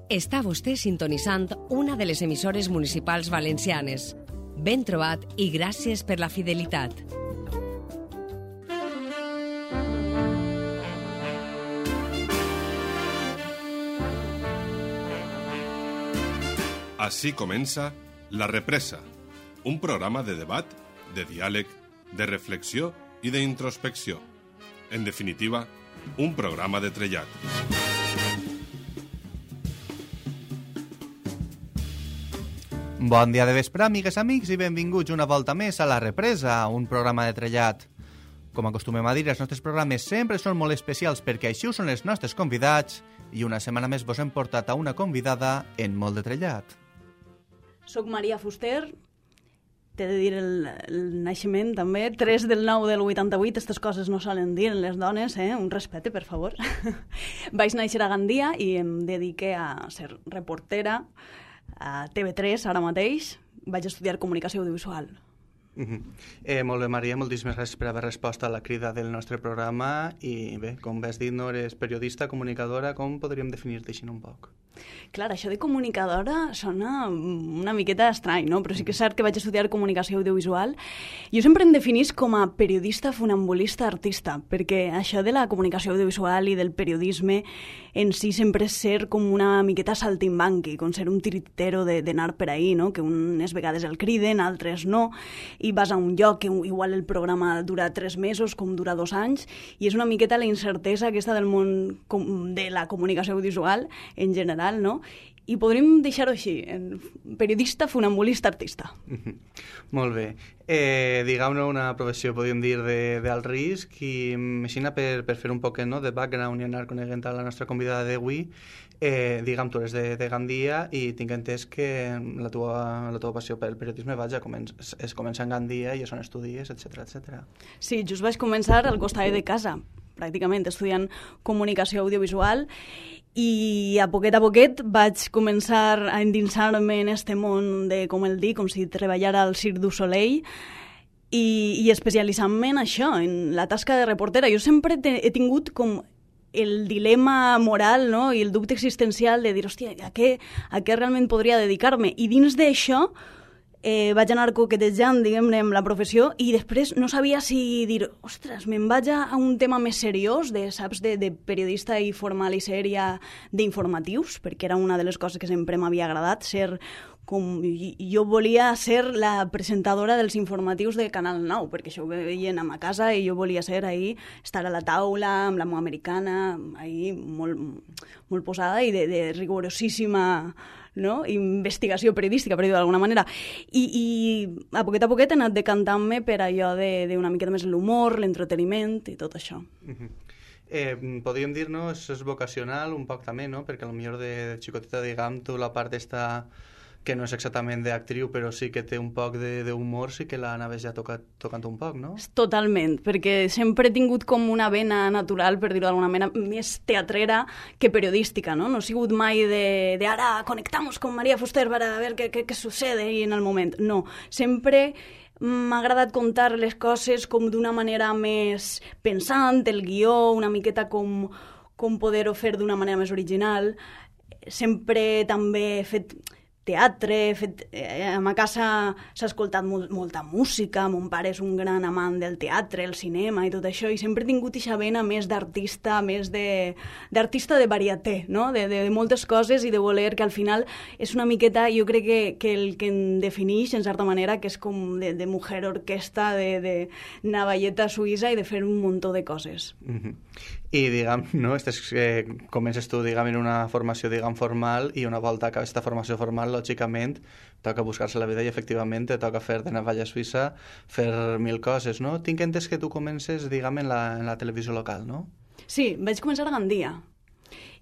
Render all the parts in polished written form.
Està vostè sintonitzant una de les emissores municipals valencianes. Ben trobat i gràcies per la fidelitat. Així comença La Represa, un programa de debat, de diàleg, de reflexió i d'introspecció. En definitiva, un programa de trellat. Bon dia de vespre, amigues, amics, i benvinguts una volta més a La Represa, un programa de trellat. Com acostumem a dir, els nostres programes sempre són molt especials perquè així ho són els nostres convidats i una setmana més vos hem portat a una convidada en molt de trellat. Soc Maria Fuster, t'he de dir el naixement també, 3 del 9 del 88, aquestes coses no solen dir les dones, un respecte, per favor. Vaig néixer a Gandia i em dediqué a ser reportera a TV3 ara mateix. Vaig estudiar comunicació audiovisual. Molt bé, Maria, moltíssimes gràcies per haver respost a la crida del nostre programa i bé, com has dit, no eres periodista, comunicadora, com podríem definir-te així un poc? Clar, això de comunicadora sona una miqueta estrany, no? Però sí que és cert que vaig estudiar comunicació audiovisual. Jo sempre em definís com a periodista, funambulista, artista, perquè això de la comunicació audiovisual i del periodisme en si sempre és ser com una miqueta saltimbanqui, com ser un tiritero d'anar per ahí, no? Que unes vegades el criden, altres no, i vas a un lloc que igual el programa dura 3 mesos com dura 2 anys, i és una miqueta la incertesa aquesta del món de la comunicació audiovisual en general, no? I podríem deixar-ho així, periodista, funambulista, artista. Molt bé. Diguem-ne una professió, podríem dir, d'alt risc, i així per fer un poc de background i anar coneguent a la nostra convidada d'avui, diguem, tu eres de Gandia i tinc entès que la teva passió pel periodisme es comença en Gandia i és on estudies, etc. Sí, just vaig començar al costat de casa, pràcticament, estudiant comunicació audiovisual, i a poquet vaig començar a endinsar-me en este món de, com el dic, com si treballara al Cirque du Soleil, i especialitzant-me en això, en la tasca de reportera. Jo sempre he tingut com el dilema moral, no? I el dubte existencial de dir, hòstia, a què realment podria dedicar-me? I dins d'això vaig anar coquetejant, diguem-ne, amb la professió, i després no sabia si dir, ostres, me'n vaig a un tema més seriós, saps, de periodista i formal i sèria d'informatius, perquè era una de les coses que sempre m'havia agradat, ser com... Jo volia ser la presentadora dels informatius de Canal 9, perquè això ho veien a ma casa i jo volia ser ahí, estar a la taula amb la meva americana, ahí molt posada i de rigorosíssima, no? Investigació periodística, per dir-ho d'alguna manera. I a poquet he anat decantant-me per allò d'una miqueta més l'humor, l'entreteniment i tot això. Podríem dir-nos, és vocacional un poc també, no? Perquè potser de xicoteta, diguem, tu la part està que no és exactament d'actriu, però sí que té un poc d'humor, sí que l'anaves ja tocant un poc, no? Totalment, perquè sempre he tingut com una vena natural, per dir-ho d'alguna manera, més teatrera que periodística, no? No he sigut mai de ara conectamos con María Fuster para ver qué sucede en el moment. No, sempre m'ha agradat contar les coses com d'una manera més pensant, el guió, una miqueta com poder-ho fer d'una manera més original. Sempre també he fet teatre, a ma casa s'ha escoltat molta música, mon pare és un gran amant del teatre, el cinema i tot això, i sempre he tingut aquesta vena més d'artista, més d'artista de varieté, no? De moltes coses i de voler, que al final és una miqueta, jo crec que el que em defineix, en certa manera, que és com de mujer orquesta, de navalleta suïssa i de fer un muntó de coses. I, diguem, no? Comences tu, diguem, en una formació, diguem, formal, i una volta acabes aquesta formació formal, lògicament, toca buscar-se la vida i, efectivament, te toca fer de navalla suïssa, fer 1000 coses, no? Tinc entès que tu comences, diguem, en la televisió local, no? Sí, vaig començar a Gandia.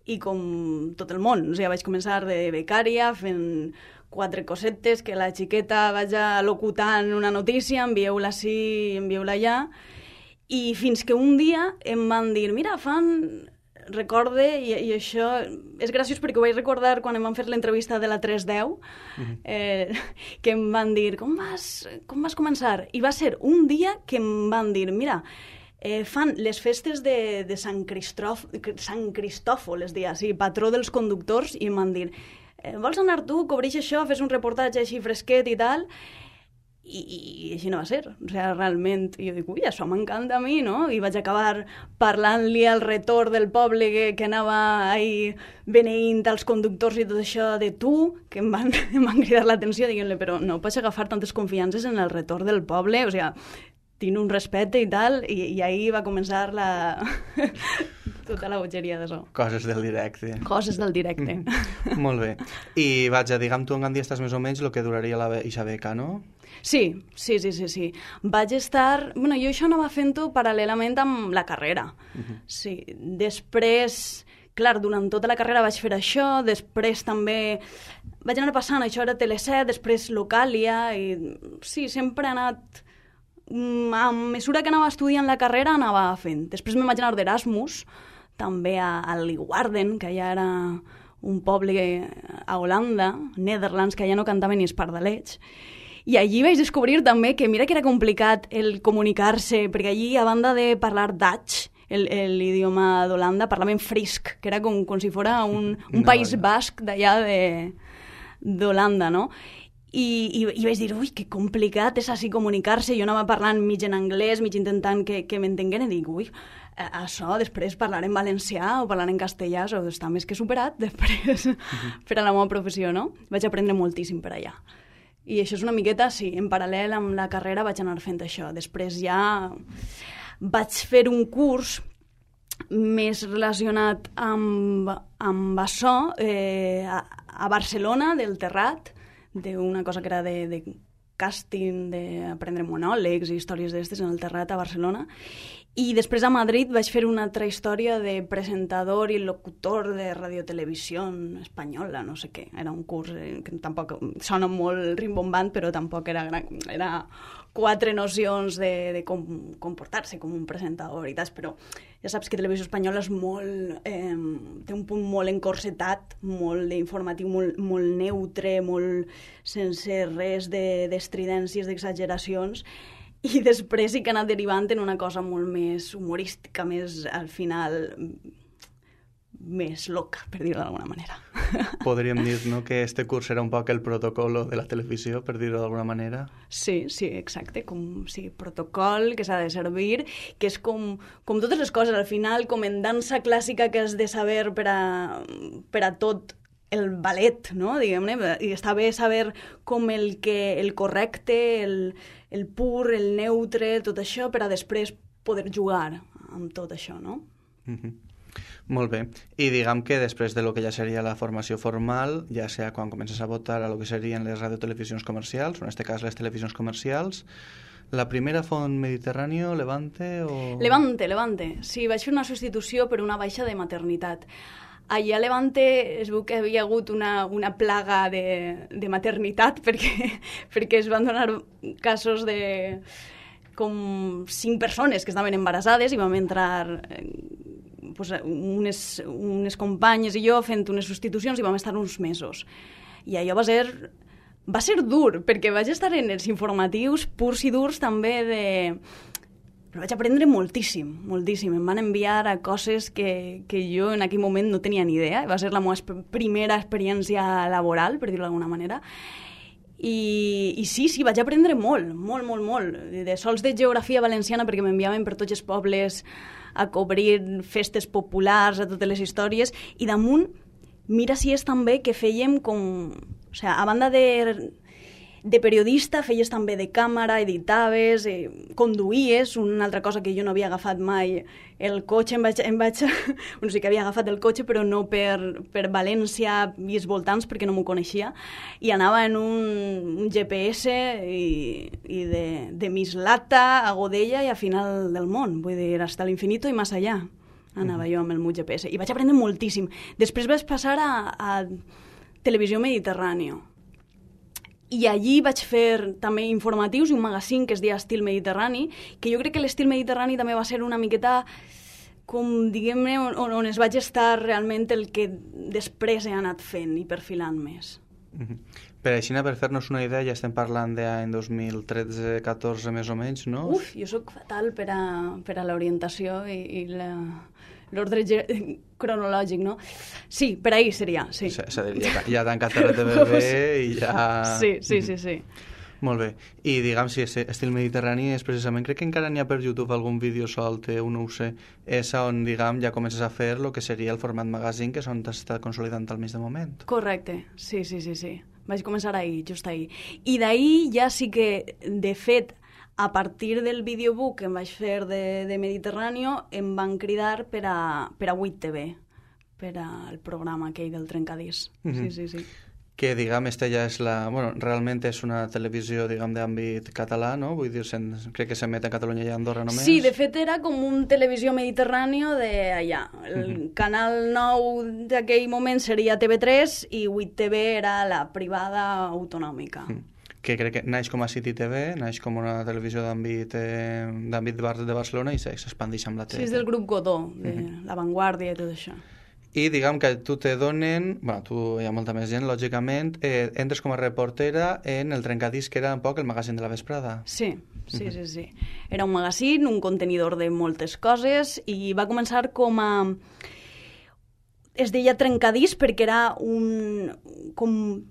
I com tot el món, o sigui, vaig començar de becària, fent 4 cosetes, que la xiqueta vaja locutant una notícia, envieu-la sí, envieu-la allà, i fins que un dia em van dir, mira, recorde, i això és graciós perquè ho vaig recordar quan em van fer l'entrevista de la 310, que em van dir, com vas començar? I va ser un dia que em van dir, mira, fan les festes de Sant Cristòfol, es deia, sí, patró dels conductors, i em van dir, vols anar tu, cobreix això, fes un reportatge així fresquet i tal, i així no va ser. O sigui, realment, jo dic, ui, això m'encanta a mi, no? I vaig acabar parlant-li al retorn del poble que anava ahí beneint als conductors i tot això de tu, que em van cridar l'atenció, dient-li, però no pots agafar tantes confiances en el retorn del poble, o sigui, tinc un respecte i tal, i ahí va començar tota la bogeria d'això. Coses del directe. Coses del directe. Molt bé. I vaja, digue'm tu en Gandhi estàs més o menys el que duraria eixa beca, no? Sí. Vaig estar... Bueno, jo això anava fent-ho paral·lelament amb la carrera. Sí. Després, clar, durant tota la carrera vaig fer això, després també vaig anar passant, això era Tele7, després Locàlia, i sí, sempre he anat... A mesura que anava estudiant la carrera anava fent. Després me'n vaig anar d'Erasmus, també a Leeuwarden, que ja era un poble a Holanda, Netherlands, que ja no cantava ni espardalets. I allí vaig descobrir també que mira que era complicat el comunicar-se, perquè allí, a banda de parlar Dutch, l'idioma d'Holanda, parlaven frisk, que era com si fos un país basc d'allà d'Holanda, no? I vaig dir, ui, que complicat és així comunicar-se. Jo anava parlant mig en anglès, mig intentant que m'entenguin, i dic, ui, això després parlar en valencià o parlar en castellà, això està més que superat després per a la meva professió, no? Vaig aprendre moltíssim per allà. I això és una miqueta, sí, en paral·lel amb la carrera vaig anar fent això. Després ja vaig fer un curs més relacionat amb això a Barcelona, del Terrat, d'una cosa que era de càsting, d'aprendre monòlegs i històries d'estes en el Terrat a Barcelona. I després a Madrid vaig fer una altra història de presentador i locutor de radiotelevisió espanyola, no sé què. Era un curs que tampoc sona molt rimbombant, però tampoc era 4 nocions de com comportar-se com un presentador i tal, però ja saps que Televisió Espanyola és molt... té un punt molt encorsetat, molt d'informatiu, molt neutre, molt sense res d'estridències, d'exageracions, i després sí que ha anat derivant en una cosa molt més humorística, més, al final, més loca, per dir-ho d'alguna manera. Podríem dir, no?, que este curs era un poc el protocolo de la televisió, per dir-ho d'alguna manera. Sí, exacte, sí, protocol que s'ha de servir, que és com totes les coses, al final, com en dansa clàssica que has de saber per a tot el ballet, no?, diguem-ne, i està bé saber com el correcte, el pur, el neutre, tot això, per a després poder jugar amb tot això, no? Molt bé. I diguem que després de lo que ja seria la formació formal, ja sea quan comences a votar a lo que serien les radiotelevisions comercials, o en este cas les televisions comercials, la primera font Mediterráneo, Levante o... Levante. Sí, vaig fer una substitució per una baixa de maternitat. Allà a Levante es veu que havia hagut una plaga de maternitat perquè es van donar casos de com 5 persones que estaven embarassades i vam entrar unes companyes i jo fent unes substitucions i vam estar uns mesos. I allò va ser dur, perquè vaig estar en els informatius purs i durs també però vaig aprendre moltíssim. Em van enviar a coses que jo en aquell moment no tenia ni idea. Va ser la meva primera experiència laboral, per dir-ho d'alguna manera. I sí, vaig aprendre molt. De sols de geografia valenciana, perquè m'enviaven per tots els pobles a cobrir festes populars, a totes les històries, i damunt, mira si és també que fèiem com... O sigui, a banda de periodista, feies també de càmera, editaves, conduïes, una altra cosa que jo no havia agafat mai, el cotxe, bueno, sí que havia agafat el cotxe, però no per València i els voltants, perquè no m'ho coneixia, i anava en un GPS i de Mislata a Godella i a final del món, vull dir, hasta l'infinito i més allà. Anava jo amb el meu GPS, i vaig aprendre moltíssim. Després vaig passar a Televisió Mediterráneo, i allí vaig fer també informatius i un magazín que es deia Estil Mediterrani, que jo crec que l'Estil Mediterrani també va ser una miqueta com, diguem-ne, on es vaig estar realment el que després he anat fent i perfilant més. Per així, per fer-nos una idea, ja estem parlant d'any 2013-14 més o menys, no? Uf, jo sóc fatal per a l'orientació i l'ordre cronològic, no? Sí, per ahir seria, sí. És a dir, ja ha tancat el TVB i ja... Sí. Molt bé. I diguem, si estil mediterrani és precisament, crec que encara n'hi ha per YouTube algun vídeo solt, no ho sé, és on, diguem, ja comences a fer el que seria el format magazine, que és on t'has estat consolidant al mig de moment. Correcte, sí. Vaig començar ahir, just ahir. I d'ahir ja sí que, de fet, a partir del videobook que em vaig fer de Mediterráneo, em van cridar per a 8TV, per al programa aquell del Trencadís. Sí. Que, diguem, esta ja és la... Bueno, realment és una televisió, diguem, d'àmbit català, no? Vull dir, crec que s'emet a Catalunya i a Andorra només. Sí, de fet era com un televisió mediterràneo d'allà. El canal 9 d'aquell moment seria TV3 i 8TV era la privada autonòmica. Que crec que naix com a City TV, naix com una televisió d'àmbit de Barcelona i s'expandeix amb la tele. Sí, és del grup Godó, de La Vanguardia i tot això. I diguem que tu te donen, bueno, tu hi ha molta més gent, lògicament, entres com a reportera en el Trencadís, que era un poc el magazín de la vesprada. Sí. Era un magazín, un contenidor de moltes coses, i va començar com a... Es deia Trencadís perquè era com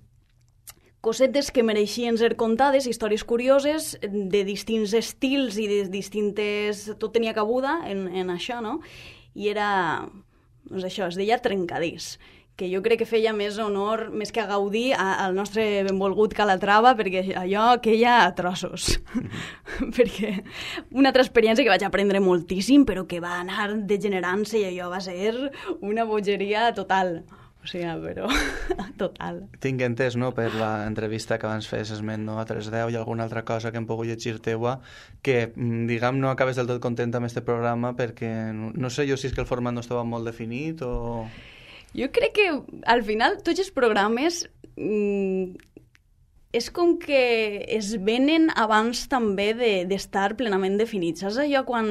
cosetes que mereixien ser contades, històries curioses, de distints estils i de distintes... Tot tenia cabuda en això, no? I era... Doncs això, es deia Trencadís, que jo crec que feia més honor, més que a Gaudí, al nostre benvolgut Calatrava, perquè allò queia a trossos. Perquè una altra experiència que vaig aprendre moltíssim, però que va anar degenerant-se i allò va ser una bogeria total. O sigui, però total. Tinc entès, no?, per l'entrevista que abans fes esment, no?, a 310 i alguna altra cosa que hem pogut llegir teua, que, diguem, no acabes del tot content amb este programa perquè, no sé jo si és que el format no estava molt definit o... Jo crec que, al final, tots els programes és com que es venen abans també d'estar plenament definits. Saps allò quan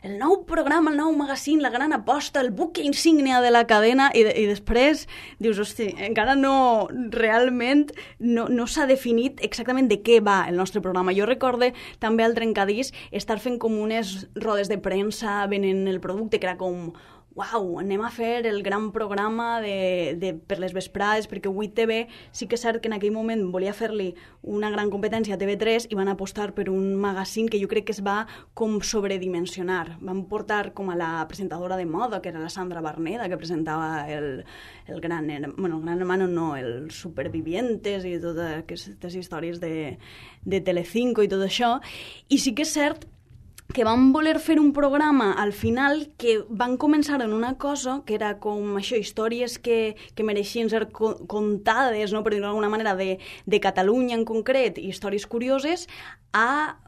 el nou programa, el nou magazín, la gran aposta, el buque insígnia de la cadena i després dius, hosti, encara no, realment no s'ha definit exactament de què va el nostre programa. Jo recorde també al Trencadís estar fent com unes rodes de premsa venent el producte, que era com... Uau, anem a fer el gran programa per les vesprades, perquè 8TV sí que és cert que en aquell moment volia fer-li una gran competència a TV3 i van apostar per un magazín que jo crec que es va com sobredimensionar. Van portar com a la presentadora de moda, que era la Sandra Barneda, que presentava el Gran Hermano, no, el Supervivientes i totes aquestes històries de Telecinco i tot això. I sí que és cert que van voler fer un programa al final que van començar en una cosa que era com això, històries que mereixien ser contades, no, per dir-ho d'alguna manera, de Catalunya en concret, històries curioses, a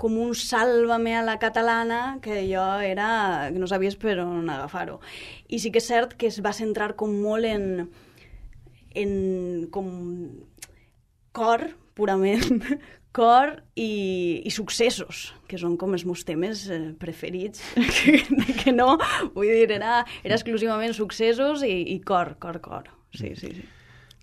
com un sàlvame a la catalana que allò era... que no sabies per on agafar-ho. I sí que és cert que es va centrar com molt en com cor, purament, cor i successos, que són com els meus temes preferits, que no, vull dir, era exclusivament successos i cor. Sí.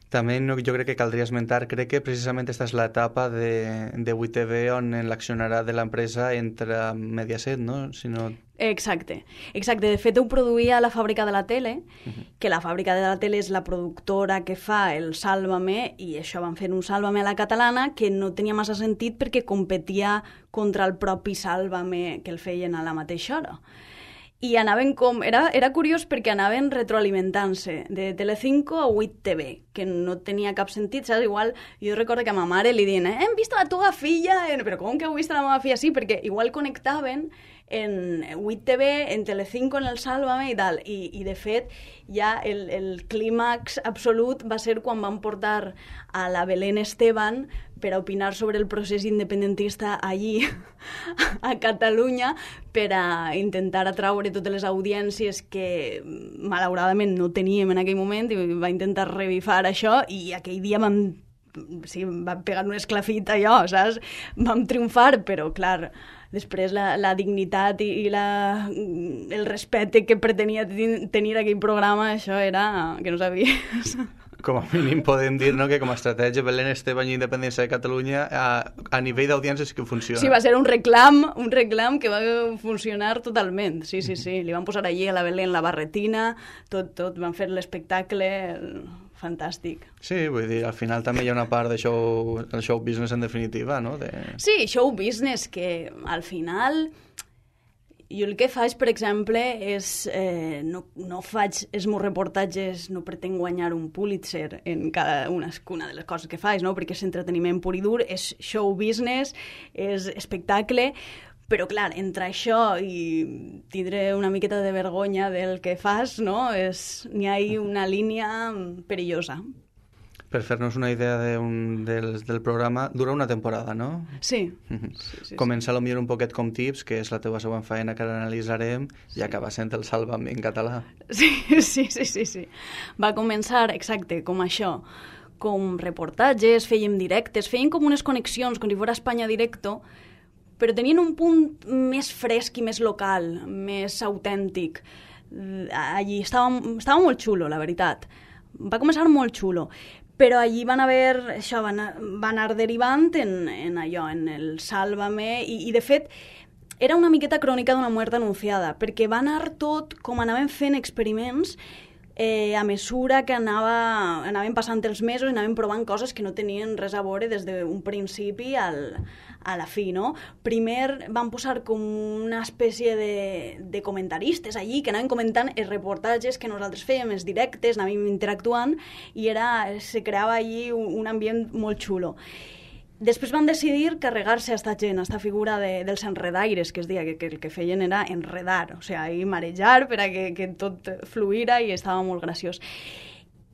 També jo crec que caldria esmentar, crec que precisament aquesta és l'etapa de 8TV on l'accionarà de l'empresa entre Mediaset, no? Exacte. De fet, ho produïa la Fàbrica de la Tele, que la Fàbrica de la Tele és la productora que fa el Sálvame, i això van fer un Sálvame a la catalana que no tenia massa sentit perquè competia contra el propi Sálvame que el feien a la mateixa hora. I anaven com... Era curiós perquè anaven retroalimentant-se de Telecinco a 8TV, que no tenia cap sentit, saps? Igual, jo recordo que a ma mare li diuen hem vist la teva filla... Però com que heu vist la meva filla? Sí, perquè igual connectaven en 8TV, en Telecinco, en el Sálvame i tal. I de fet, ja el clímax absolut va ser quan van portar a la Belén Esteban per a opinar sobre el procés independentista allí, a Catalunya, per a intentar atraure totes les audiències que malauradament no teníem en aquell moment, i va intentar revifar això, i aquell dia vam pegar un esclafit allò, saps? Vam triomfar, però clar, després la dignitat i el respecte que pretenia tenir aquell programa, això era que no sabies. Com a mínim podem dir, no, que com a estratègia Belén Esteban i Independència de Catalunya a nivell d'audiència sí que funciona. Sí, va ser un reclam que va funcionar totalment. Sí. Li van posar allí a la Belén la barretina, tot, van fer l'espectacle fantàstic. Sí, vull dir, al final també hi ha una part de show business en definitiva, no? Sí, show business, que al final... Jo el que faig, per exemple, és... no faig els meus reportatges, no pretenc guanyar un Pulitzer en cada una de les coses que faig, no? Perquè és entreteniment pur i dur, és show business, és espectacle, però, clar, entre això i tindre una miqueta de vergonya del que fas, no? N'hi ha una línia perillosa. Per fer-nos una idea del programa, dura una temporada, no? Sí. Sí. Comença potser un poquet com Tips, que és la teva següent feina que ara analitzarem, i acaba sent el Sálvame en català. Sí. Va començar, exacte, com això, com reportatges, fèiem directes, fèiem com unes connexions, com si fos Espanya Directo, però tenien un punt més fresc i més local, més autèntic. Allí estava molt xulo, la veritat. Va començar molt xulo. Però allí van anar derivant en allò, en el Sálvame, i de fet era una miqueta crònica d'una mort anunciada, perquè va anar tot com anaven fent experiments a mesura que anaven passant els mesos i anaven provant coses que no tenien res a veure des d'un principi a la fi, no? Primer van posar com una espècie de comentaristes allí que anaven comentant els reportatges que nosaltres fèiem, els directes, anàvem interactuant i se creava allí un ambient molt xulo. Després van decidir carregar-se a esta gent, a esta figura dels enredaires, que es deia que el que feien era enredar, o sigui, marejar per a que tot fluïra i estava molt graciós.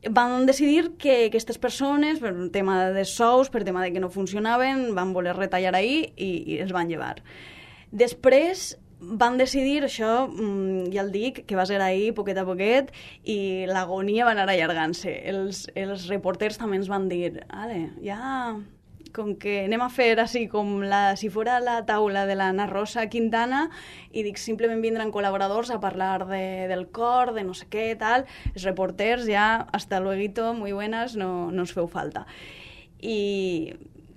Van decidir que aquestes persones, per un tema de sous, per tema de que no funcionaven, van voler retallar ahir i els van llevar. Després van decidir, això ja el dic, que va ser ahir poquet a poquet i l'agonia va anar allargant-se. Els reporters també ens van dir, ja... com que anem a fer així com si fora la taula de la Ana Rosa Quintana i dic, simplement vindran col·laboradors a parlar del cor, de no sé què, tal. Els reporters ja, hasta luego, muy buenas, no ens feu falta.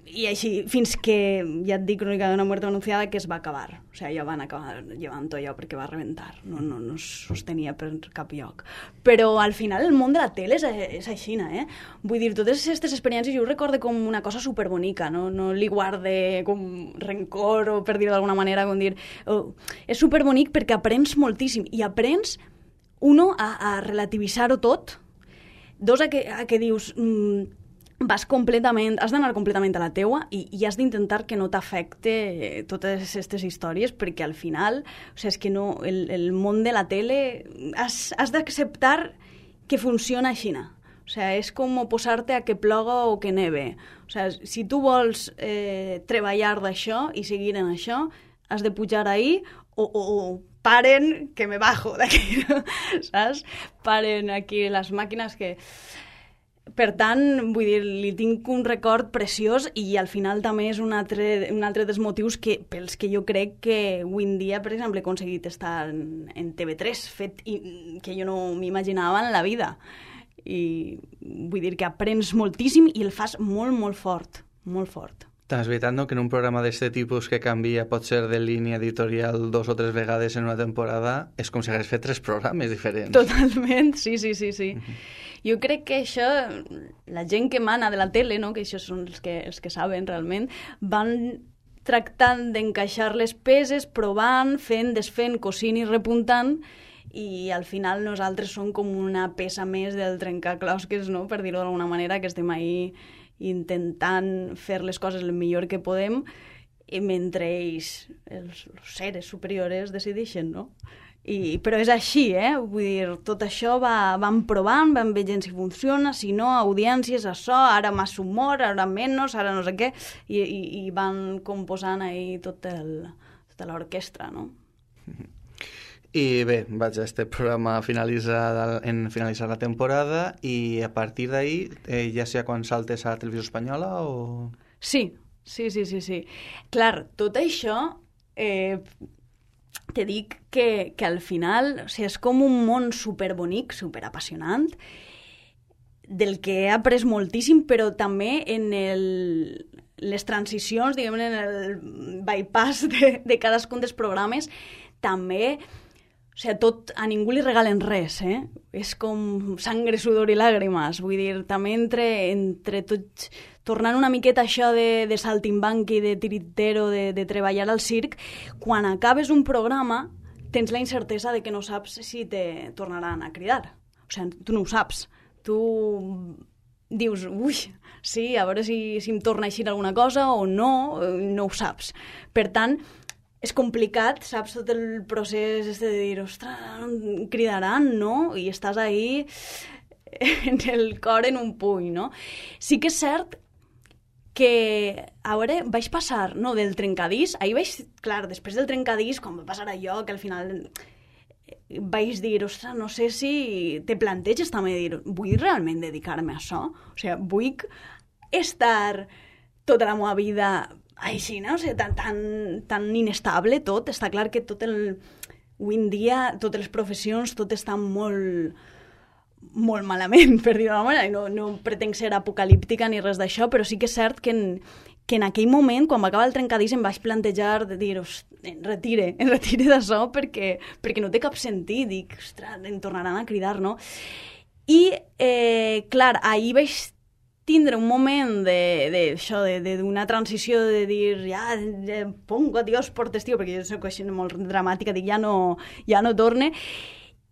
I així, fins que, ja et dic, Crònica d'una mort anunciada, que es va acabar. O sigui, ja van acabar llevant allò perquè va rebentar. No es sostenia per cap lloc. Però al final el món de la tele és així, Vull dir, totes aquestes experiències jo ho recorde com una cosa superbonica, no li guarde com rencor o, per dir-ho d'alguna manera, com dir... És superbonic perquè aprens moltíssim i aprens, uno, a relativitzar-ho tot, dos, a que dius... has d'anar completament a la teua i has d'intentar que no t'afecte totes aquestes històries, perquè al final, o sigui, és que no, el món de la tele has d'acceptar que funciona així. O sigui, és com posar-te a que ploga o que neve. O sigui, si tu vols treballar d'això i seguir en això, has de pujar ahí o paren que me bajo d'aquí, saps? Paren aquí les màquines que... Per tant, vull dir, li tinc un record preciós i al final també és un altre dels motius pels que jo crec que avui en dia, per exemple, he aconseguit estar en TV3, fet que jo no m'imaginava en la vida. I vull dir que aprens moltíssim i el fas molt, molt fort, molt fort. També és veritat, no?, que en un programa d'aquest tipus que canvia, pot ser de línia editorial 2 o 3 vegades en una temporada, és com si hagués fet 3 programes diferents. Totalment, sí. Jo crec que això, la gent que mana de la tele, no?, que això són els que saben realment, van tractant d'encaixar les peces, provant, fent, desfent, cosint i repuntant, i al final nosaltres som com una peça més del trencaclosques, no?, per dir-ho d'alguna manera, que estem ahí intentant fer les coses el millor que podem, mentre ells, els seres superiors, decideixen, no? Però és així, vull dir, tot això van provant, van veient si funciona, si no, audiències, això, ara més humor, ara menys, ara no sé què, i van composant ahí tota l'orquestra, no? I bé, vaig a este programa finalitzar la temporada i a partir d'ahí, ja sé quan saltes a la televisió espanyola o... Sí. Clar, tot això... te dic que al final, o sigui, és com un món superbonic, superapassionant, del que he après moltíssim, però també en les transicions, diguem, en el bypass de cadascun dels programes, també, o sigui, tot, a ningú li regalen res, És com sangre, sudor i làgrimes, vull dir, també entre tots, tornant una miqueta això de saltimbanqui, de tiritero, de treballar al circ, quan acabes un programa tens la incertesa de que no saps si te tornaran a cridar. O sigui, tu no ho saps. Tu dius, ui, sí, a veure si em torna a eixir alguna cosa o no ho saps. Per tant, és complicat, saps, tot el procés de dir, ostres, em cridaran, no? I estàs ahí en el cor en un puny, no? Sí que és cert que, a veure, vaig passar, no, del trencadís, ahir vaig, clar, després del trencadís, quan va passar allò, que al final vaig dir, ostres, no sé si te planteges també dir, vull realment dedicar-me a això? O sigui, vull estar tota la meva vida així, no? O sigui, tan inestable tot. Està clar que avui en dia, totes les professions, tot està molt malament, per dir-ho d'alguna manera. No pretenc ser apocalíptica ni res d'això, però sí que és cert que en aquell moment, quan va acabar el trencadís, em vaig plantejar de dir, em retire d'això perquè no té cap sentit. Dic, ostres, em tornaran a cridar, no? I, clar, ahir vaig tindre un moment d'una transició de dir, ja pongo adiós por testigo, perquè jo soc així molt dramàtica, dic, ja no torne.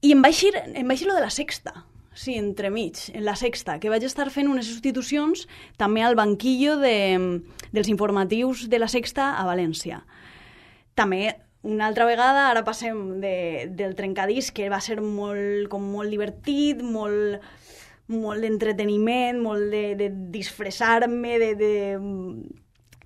I em vaig ir lo de la Sexta. Sí, entremig, en la Sexta, que vaig estar fent unes substitucions també al banquillo dels informatius de la Sexta a València. També, una altra vegada, ara passem del trencadís, que va ser molt divertit, molt d'entreteniment, molt de disfressar-me, de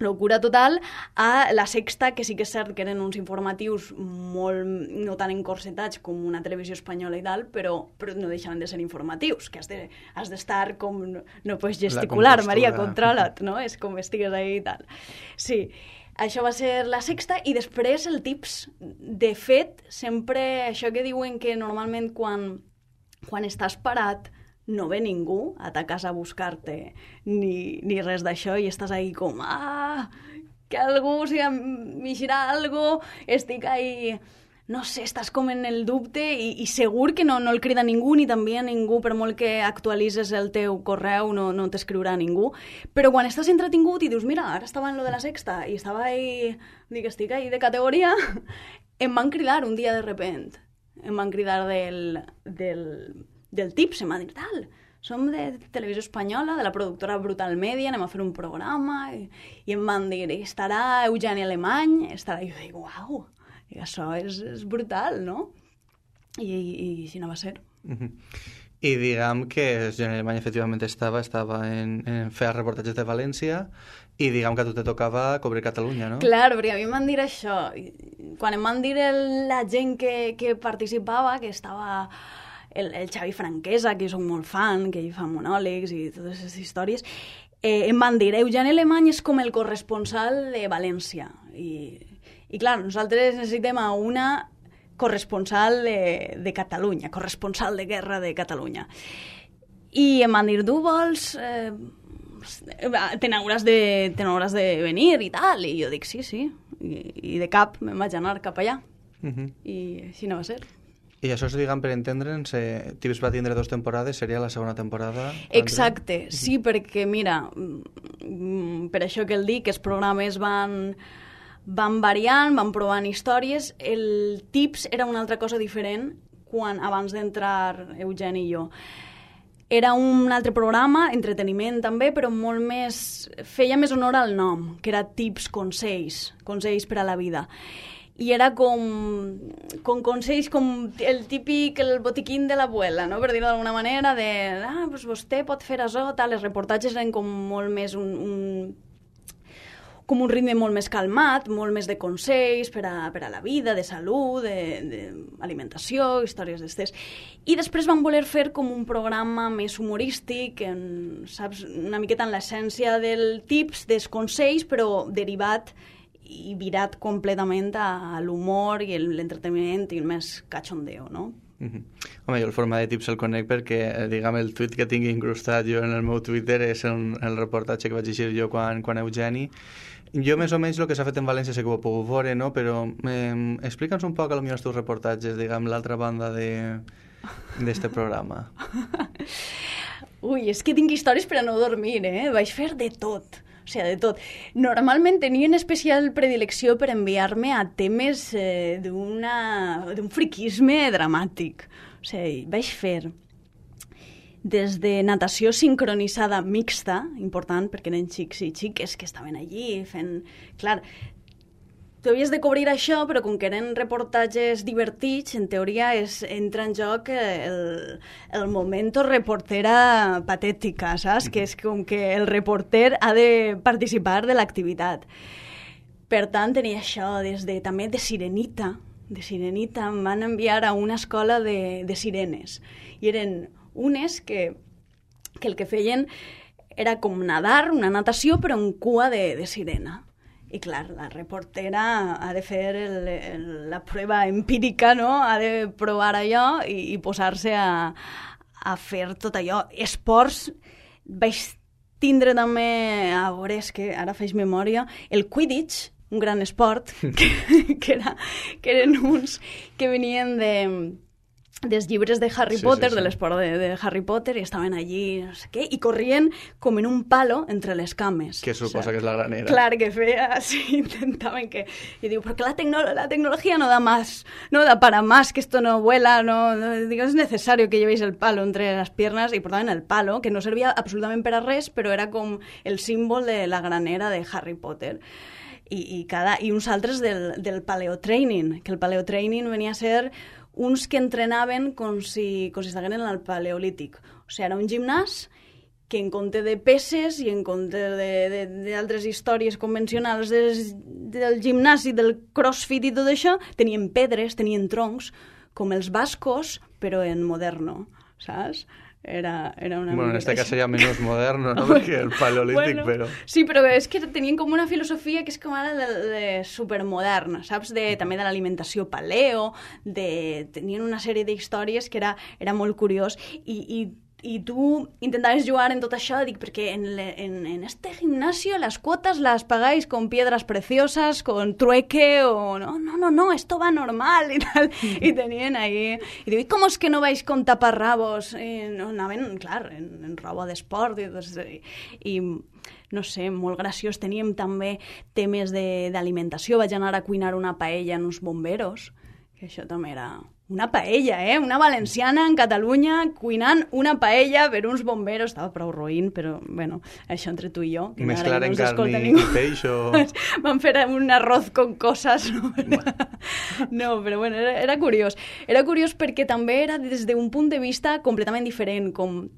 locura total, a la Sexta, que sí que és cert que eren uns informatius molt, no tan encorsetats com una televisió espanyola i tal, però no deixaven de ser informatius, que has d'estar com... No pots gesticular, Maria, controla't, no? És com estigues ahí i tal. Sí, això va ser la Sexta, i després el Tips. De fet, sempre això que diuen que normalment quan estàs parat no ve ningú a ta casa a buscar-te ni res d'això, i estàs ahí com, que algú, o sigui, m'eixirà algo, estic ahí, no sé, estàs com en el dubte, i segur que no el crida ningú, ni també a ningú, per molt que actualitzes el teu correu, no t'escriurà ningú, però quan estàs entretingut i dius, mira, ara estava en lo de la Sexta, i estava ahí, dic, estic ahí de categoria, em van cridar un dia de repent, em van cridar del Tips, em va dir, tal, som de Televisió Espanyola, de la productora Brutal Media, anem a fer un programa, i em van dir, estarà Eugeni Alemany, estarà... I jo dic, uau, això és brutal, no? I així no va ser. I diguem que Eugeni Alemany efectivament estava en fer reportatges de València, i diguem que a tu te tocava cobrir Catalunya, no? Clar, perquè a mi em van dir això. Quan em van dir la gent que participava, que estava... El Xavi Franquesa, que jo soc molt fan, que ell fa monòlegs i totes aquestes històries, em van dir, Eugeni Alemany és com el corresponsal de València. I clar, nosaltres necessitem a una corresponsal de Catalunya, corresponsal de guerra de Catalunya. I em van dir, tu vols... te n'hauràs de venir i tal. I jo dic, sí. I de cap me'n vaig anar cap allà. I així no va ser. I això, diguem, per entendre'ns, Tips va tindre 2 temporades, seria la segona temporada? Exacte, sí, perquè, mira, per això que el dic, que els programes van variant, van provant històries. El Tips era una altra cosa diferent abans d'entrar Eugeni i jo. Era un altre programa, entreteniment també, però molt més... feia més honor al nom, que era Tips, consells per a la vida. I era com consells, com el típic, el botiquín de l'abuela, no? Per dir-ho d'alguna manera, doncs vostè pot fer això, tal. Els reportatges eren com molt més com un ritme molt més calmat, molt més de consells per a la vida, de salut, d'alimentació, històries d'estes. I després van voler fer com un programa més humorístic, saps, una miqueta en l'essència del Tips, dels consells, però derivat i virat completament a l'humor i l'entreteniment i el més cachondeo, no? Home, jo el format de tips el conec perquè, diguem, el tuit que tinc incrustat jo en el meu Twitter és el reportatge que vaig llegir jo quan Eugeni. Jo més o menys el que s'ha fet en València sé que ho he pogut veure, no? Però explica'ns un poc potser els teus reportatges, diguem, l'altra banda d'este programa. Ui, és que tinc històries per a no dormir, Vaig fer de tot. O sigui, de tot. Normalment tenien especial predilecció per enviar-me a temes d'un friquisme dramàtic. O sigui, vaig fer des de natació sincronitzada mixta, important perquè eren xics i xiques que estaven allí fent... Clar, tu havies de cobrir això, però com que eren reportatges divertits, en teoria entra en joc el momento reportera patètica, saps? Que és com que el reporter ha de participar de l'activitat. Per tant, tenia això també de sirenita. De sirenita em van enviar a una escola de sirenes. I eren unes que el que feien era com nadar, una natació, però en cua de sirena. I clar, la reportera ha de fer la prova empírica, no? Ha de provar allò i posar-se a fer tot allò. Esports, vaig tindre també, a veure, és que ara faig memòria, el Quidditch, un gran esport, que eren uns que venien dels llibres de Harry Potter, de l'esport de Harry Potter, i estaven allí, no sé què, i corrien com en un palo entre les cames. Que suposa que és la granera. Clar, que feia, sí, intentaven que... I diu, perquè la tecnología no da más, no da para más, que esto no vuela, no digo, es necesario que llevéis el palo entre las piernas, i portaven el palo, que no servia absolutament per a res, però era com el símbol de la granera de Harry Potter. I uns altres del paleotraining, que el paleotraining venia a ser uns que entrenaven com si estiguessin en el paleolític. O sigui, era un gimnàs que en compte de peces i en compte d'altres històries convencionals del gimnàs i del crossfit i tot això, tenien pedres, tenien troncs, com els bascos, però en moderno, saps? Era una... Bueno, en este cas seria menys moderno, no? Perquè el paleolític, però... Sí, però és que tenien com una filosofia que és com ara de supermoderna, saps? També de l'alimentació paleo, tenien una sèrie d'històries que era molt curiós y tú intentaves jugar en tot això, dic, perquè en este gimnasio las cuotas las pagáis con piedras preciosas, con trueque, o no, esto va normal, y tal, y tenien ahí, i diu, ¿cómo es que no vais con taparrabos? No, anaven, clar, en roba d'esport, i no sé, molt graciós. Teníem també temes d'alimentació, vaig anar a cuinar una paella en uns bomberos, que això també era... Una paella, una valenciana en Catalunya cuinant una paella per uns bomberos. Estava prou roïn, però, bueno, això entre tu i jo. Mesclar en carn i peix o... Van fer un arroz con cosas, no? No, però bueno, era curiós. Era curiós perquè també era des d'un punt de vista completament diferent, com...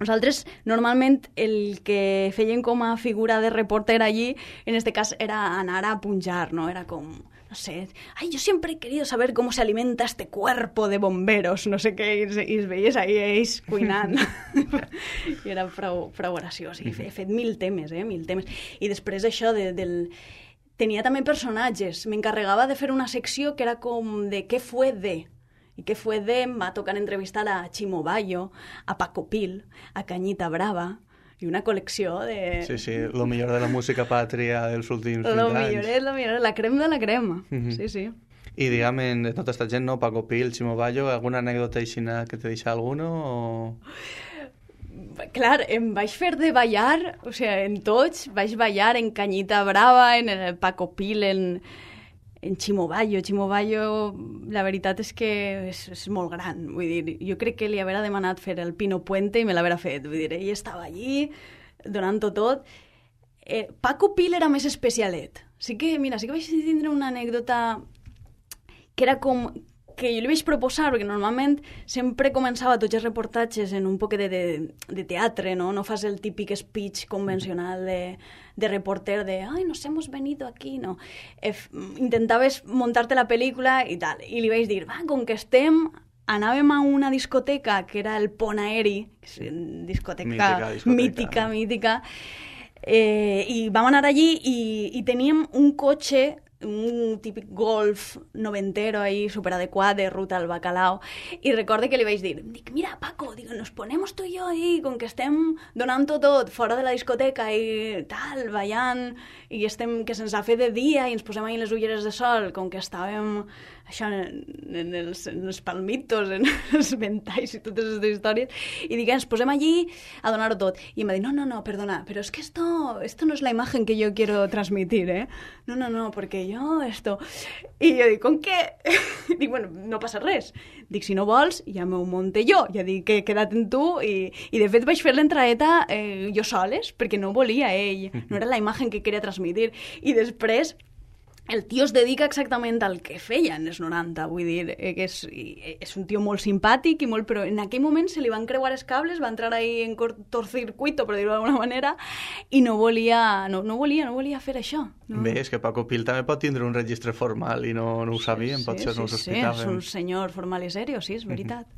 Nosaltres, normalment, el que feien com a figura de reporter allí, en este cas, era anar a punjar, no? Era com... No sé, yo siempre he querido saber cómo se alimenta este cuerpo de bomberos, no sé què, i es veies ahí ells cuinant. I era prou graciós. I he fet mil temes. I després això tenia també personatges. M'encarregava de fer una secció que era com de què fue de. I què fue de em va tocar entrevistar a Chimo Bayo, a Paco Pil, a Cañita Brava, i una col·lecció de... Sí, lo millor de la música pàtria dels últims 20 anys. Lo millor, la crema de la crema. Sí. I digue'm, de tota aquesta gent, no? Paco Pil, Chimo Bayo, alguna anècdota aixina que te deixa alguno? O... Clar, em vaig fer de ballar, o sigui, en tots, vaig ballar en Cañita Brava, en el Paco Pil, en Chimo Bayo. Chimo Bayo, la veritat és que és molt gran. Vull dir, jo crec que li haurà demanat fer el Pino Puente i me l'haurà fet. Vull dir, ell estava allí, donant-ho tot. Paco Pil era més especialet. Sí que vaig tindre una anècdota que era com... que jo li vaig proposar, perquè normalment sempre començava tots els reportatges en un poc de teatre, no? No fas el típic speech convencional de reporter de «Ay, nos hemos venido aquí», no? Intentaves muntarte la pel·lícula i tal. I li vaig dir, va, com que anàvem a una discoteca que era el Pont Aeri, que és una discoteca mítica, i vam anar allí i teníem un cotxe un típic golf noventero ahí superadequat de ruta al bacalao, i recorde que li vaig dir, mira Paco, nos ponemos tu i jo ahí, com que estem donant-ho tot fora de la discoteca i tal, ballant, i estem que se'ns ha fet de dia i ens posem ahí les ulleres de sol, com que estàvem això en els palmitos, en els ventalls i totes aquestes històries, i dic, ens posem allí a donar-ho tot. I em va dir, no, perdona, pero es que esto no es la imagen que yo quiero transmitir, ¿eh? No, porque yo esto... I jo dic, com què? Dic, bueno, no passa res. Dic, si no vols, ja m'ho monte jo. Ja dic que he quedat en tu i de fet vaig fer l'entraeta jo soles, perquè no volia ell, no era la imagen que queria transmitir. I després el tio es dedica exactament al que feia en els 90, vull dir, que és un tio molt simpàtic, però en aquell moment se li van creuar els cables, va entrar ahí en cortocircuito, per dir-ho d'alguna manera, i no volia fer això. No? Bé, és que Paco Pil també pot tindre un registre formal i no ho sabíem, potser no ho sospitàvem. Sí, és un senyor formal i serio, sí, és veritat.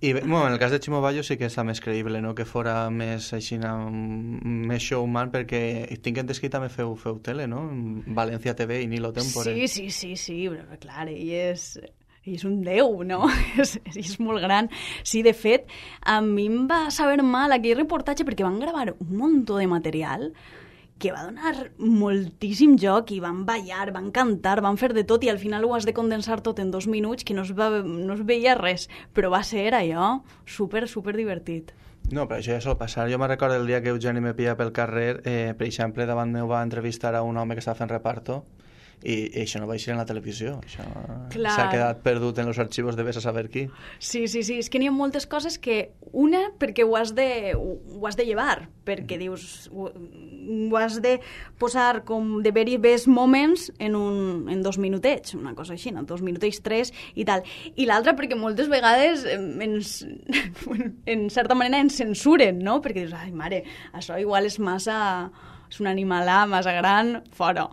I bé, bueno, en el cas de Ximo Bayo sí que està més creïble, no? Que fora més així, més showman, perquè tinc entès que també feu tele, no? València TV i Nilo Tempore. Sí, però clar, ell és un déu, no? és molt gran. Sí, de fet, a mi em va saber mal aquell reportatge perquè van gravar un munt de material que va donar moltíssim joc i van ballar, van cantar, van fer de tot i al final ho has de condensar tot en 2 minuts que no es veia res, però va ser allò super divertit. No, però això ja sol passar. Jo me recordo el dia que Eugeni me pilla pel carrer, per exemple, davant meu va entrevistar a un home que estava fent reparto i això no va eixir en la televisió, això s'ha quedat perdut en els arxivos de vés a saber qui. Sí, és que n'hi ha moltes coses que, una, perquè ho has de llevar, perquè dius, ho has de posar com de very best moments en 2 minutets, una cosa així, no? 2 minutets, 3 i tal. I l'altra perquè moltes vegades en certa manera ens censuren, no? Perquè dius, ai mare, això igual és un animalà massa gran, fora.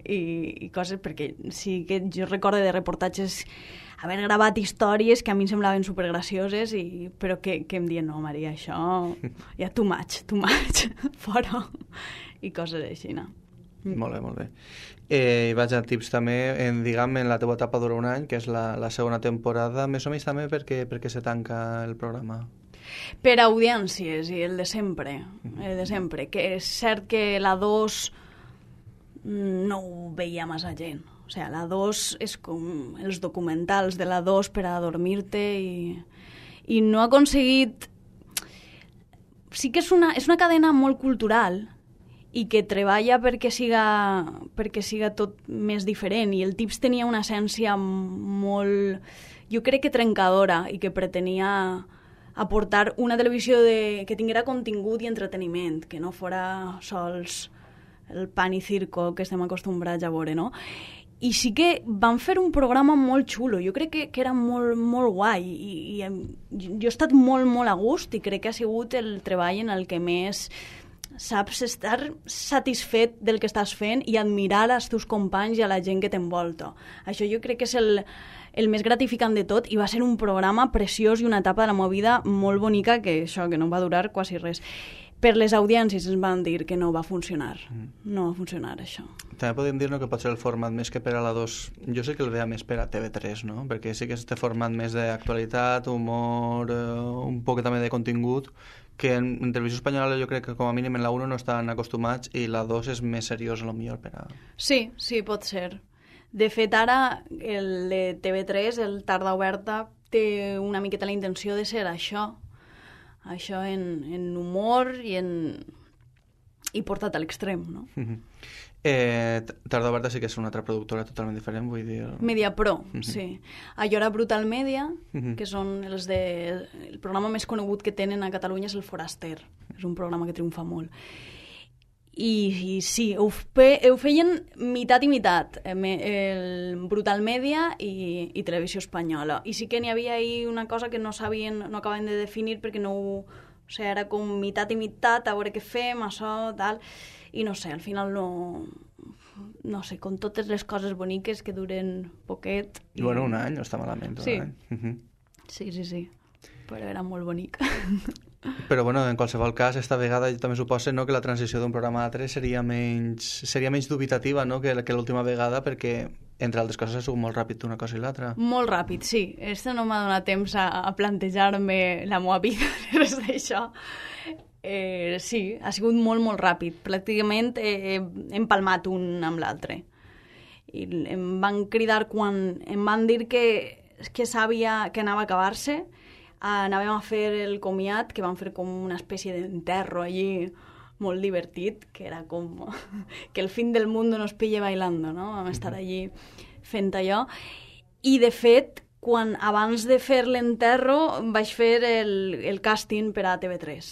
I coses, perquè sí que jo recordo de reportatges haver gravat històries que a mi em semblaven supergracioses, però que em diuen, no, Maria, això ja too much, fora. I coses així, no? Molt bé. I vaig a tips també, en la teva etapa dura un any, que és la segona temporada, més o menys també perquè se tanca el programa. Per audiències i el de sempre, que és cert que la 2 no ho veia massa gent. O sigui, la 2 és com els documentals de la 2 per a dormir-te i no ha aconseguit... Sí que és una cadena molt cultural i que treballa perquè siga tot més diferent, i el Tips tenia una essència molt, jo crec que trencadora, i que pretenia aportar una televisió que tinguera contingut i entreteniment, que no fora sols el pan i circo que estem acostumbrats a veure, no? I sí que van fer un programa molt xulo, jo crec que era molt, molt guai, i jo he estat molt, molt a gust, i crec que ha sigut el treball en el que més saps estar satisfet del que estàs fent i admirar als teus companys i a la gent que t'envolta. Això jo crec que és el més gratificant de tot, i va ser un programa preciós i una etapa de la meva vida molt bonica que no va durar quasi res. Per les audiències ens van dir que no va funcionar. No va funcionar, això. També podem dir que pot ser el format més que per a la 2. Jo sé que el veia més per a TV3, no? Perquè sí que és este format més d'actualitat, humor, un poc també de contingut, que en televisió espanyola jo crec que com a mínim en la 1 no estan acostumats, i la 2 és més seriós, potser per a... Sí, pot ser. De fet, ara el de TV3, el Tarda Oberta, té una miqueta la intenció de ser això en humor i portat a l'extrem, no? Tarda Oberta sí que és una altra productora totalment diferent, vull dir... Mediapro, sí. Allò era Brutal Media, que són el programa més conegut que tenen a Catalunya és el Foraster. És un programa que triomfa molt. I sí, ho feien mitat i mitat, el Brutal Media i Televisió Espanyola. I sí que n'hi havia ahí una cosa que no acaben de definir, perquè era com mitat i mitat, a veure què fem, això, tal... I no sé, al final no sé, com totes les coses boniques que duren poquet... I bueno, un any no està malament. Sí. Sí, però era molt bonic. Però bueno, en qualsevol cas, esta vegada també suposa, no, que la transició d'un programa a l'altre seria menys dubitativa, no, que l'última vegada, perquè entre altres coses ha sigut molt ràpid una cosa i l'altra. Molt ràpid, sí. Este no m'ha donat temps a plantejar-me la meva vida res d'això. Sí, ha sigut molt, molt ràpid. Pràcticament hem palmat un amb l'altre. I em van cridar quan em van dir que sabia que anava a acabar-se. Anàvem a fer el comiat, que vam fer com una espècie d'enterro allí molt divertit, que era com que el fin del mundo nos pille bailando, no? Vam estar allí fent allò. I, de fet, abans de fer l'enterro vaig fer el càsting per a TV3.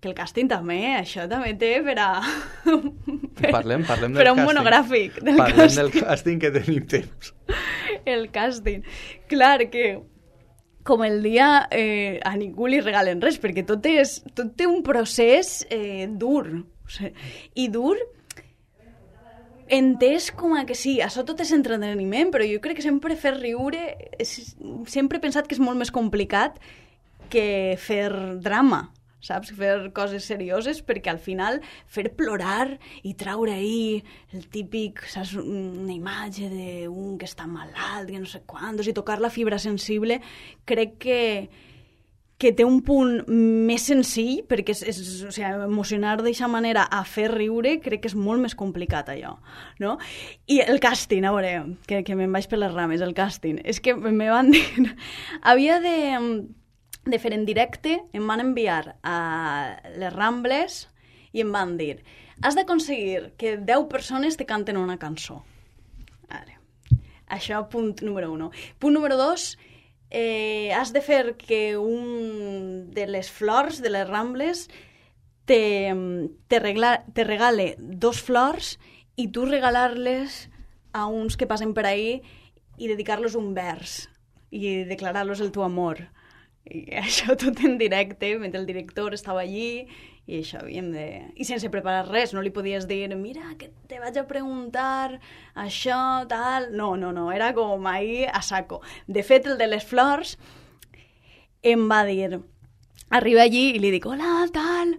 Que el càsting també, això també té per a... Parlem del càsting. Per a un monogràfic del càsting. Parlem del càsting, que tenim temps. El càsting. Clar que, com el dia, a ningú li regalen res, perquè tot té un procés dur. O sigui, i dur, entès com que sí, això tot és entreteniment, però jo crec que sempre fer riure, sempre he pensat que és molt més complicat que fer drama, saps? Fer coses serioses, perquè al final fer plorar i traure ahí el típic, saps? Una imatge d'un que està malalt, que no sé quantos, i tocar la fibra sensible, crec que té un punt més senzill, perquè o sigui, emocionar d'aquesta manera a fer riure crec que és molt més complicat allò, no? I el càsting, a veure, que me'n vaig per les rames, el càsting, és que me van dir... Havia de fer en directe, em van enviar a les Rambles i em van dir, has d'aconseguir que 10 persones te canten una cançó. Vale. Això, punt número 1. Punt número 2, has de fer que un de les flors de les Rambles te regale 2 flors i tu regalar-les a uns que passen per ahí i dedicar-los un vers i declarar-los el teu amor. I això tot en directe, mentre el director estava allí, i això havíem de... I sense preparar res, no li podies dir, mira, que te vaig a preguntar això, tal... No, era com ahí a saco. De fet, el de les flors em va dir... Arriba allí i li dic, hola, tal...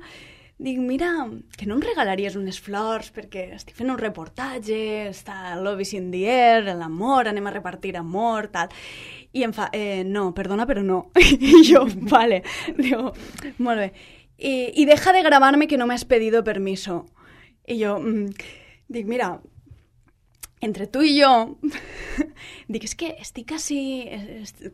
Dic, mira, que no em regalaries unes flors perquè estic fent un reportatge, està Love is in the air, l'amor, anem a repartir amor, tal... I em fa, no, perdona, però no. I jo, vale. Digo, molt bé. Y deja de grabarme que no me has pedido permiso. I jo, dic, mira, entre tu i jo, dic, és que estic així...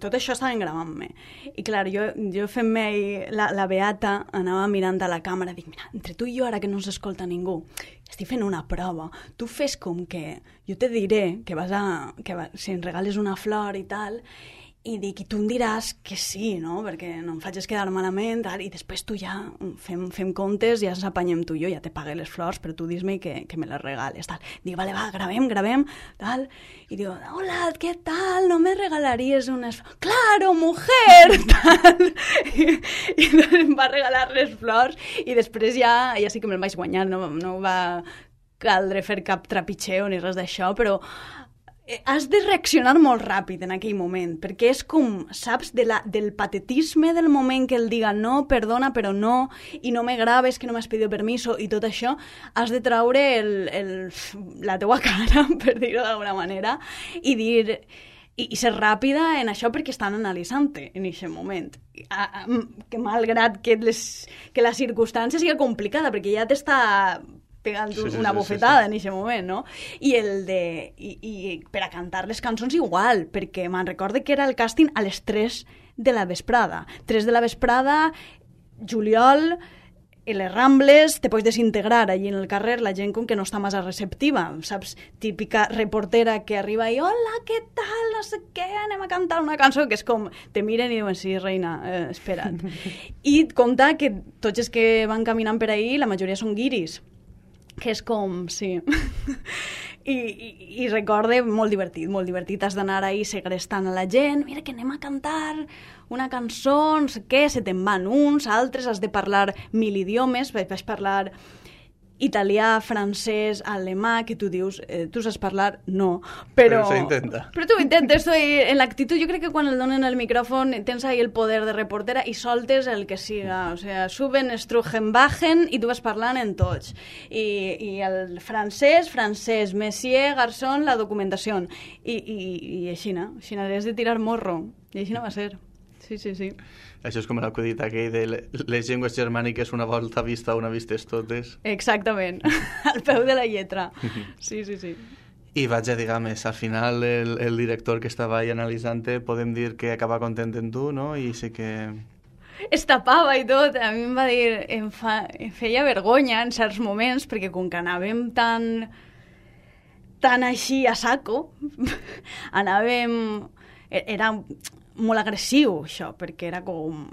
Tot això estaven gravant-me. I clar, jo fent-me la beata, anava mirant a la càmera, dic, mira, entre tu i jo, ara que no s'escolta ningú, estic fent una prova. Tu fes com que jo te diré que si em regales una flor i tal, i dic, i tu em diràs que sí, no? Perquè no em facis quedar malament, tal, i després tu ja fem comptes, ja ens apanyem tu i jo, ja te pagué les flors, però tu dis-me que me les regales, tal. Dic, vale, va, gravem, tal. I diu, hola, què tal? No me regalaries unes flors? Claro, mujer! Tal. I em va regalar les flors i després ja sí que me'l vaig guanyar, no va caldre fer cap trepitxeo ni res d'això, però has de reaccionar molt ràpid en aquell moment, perquè és com, saps, del patetisme del moment que el diga no, perdona, però no, i no me graves, que no m'has pedido permiso, i tot això, has de traure la teua cara, per dir-ho d'alguna manera, i dir... I ser ràpida en això perquè estan analitzant-te en aquest moment. Que malgrat que la circumstància sigui complicada, perquè ja t'està pegant una bofetada en aquest moment, no? I per a cantar les cançons igual, perquè me'n recorde que era el càsting a les 3 de la vesprada. 3 de la vesprada, juliol... I les Rambles te pots desintegrar allí en el carrer, la gent com que no està massa receptiva, saps? Típica reportera que arriba i hola, què tal, no sé què, anem a cantar una cançó, que és com, te miren i diuen, sí, reina, espera't. I compta que tots els que van caminant per ahí, la majoria són guiris, que és com, sí... I recorde, molt divertit, has d'anar ahí segrestant a la gent, mira que anem a cantar una cançó, no sé què, se te'n van uns, altres, has de parlar 1000 idiomes, vaig parlar italià, francès, alemà, que tu dius, tu saps parlar? No. Però se intenta. Però tu intentes, en l'actitud, jo crec que quan el donen el micròfon tens ahí el poder de reportera i soltes el que siga. O sea, suben, strugen, bajen i tu vas parlant en tots. I el francès, Messier, Garzón, la documentació. I així, no? Així has de tirar morro. I així no va ser. Sí. Això és com l'acudit aquell de les llengües germàniques una volta vista, una vistes totes. Exactament, al peu de la lletra. Sí. I vaig a, diguem-ne, al final el director que estava ahí analitzant-te podem dir que acaba content en tu, no? I sí que... Es tapava i tot. A mi em va dir... Em feia vergonya en certs moments, perquè com que anàvem tan així a saco, anàvem... Era molt agressiu, això, perquè era com